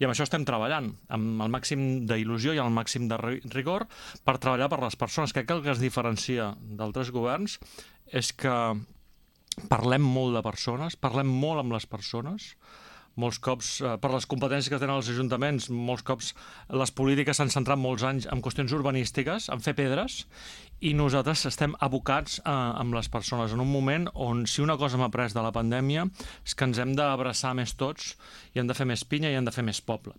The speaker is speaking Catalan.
I amb això estem treballant, amb el màxim d'il·lusió i el màxim de rigor per treballar per les persones. Crec que el que es diferencia d'altres governs és que parlem molt de persones, parlem molt amb les persones. Molts cops, per les competències que tenen els ajuntaments, molts cops les polítiques s'han centrat molts anys en qüestions urbanístiques, en fer pedres, i nosaltres estem abocats amb les persones en un moment on, si una cosa hem après de la pandèmia, és que ens hem d'abraçar més tots i hem de fer més pinya i hem de fer més poble.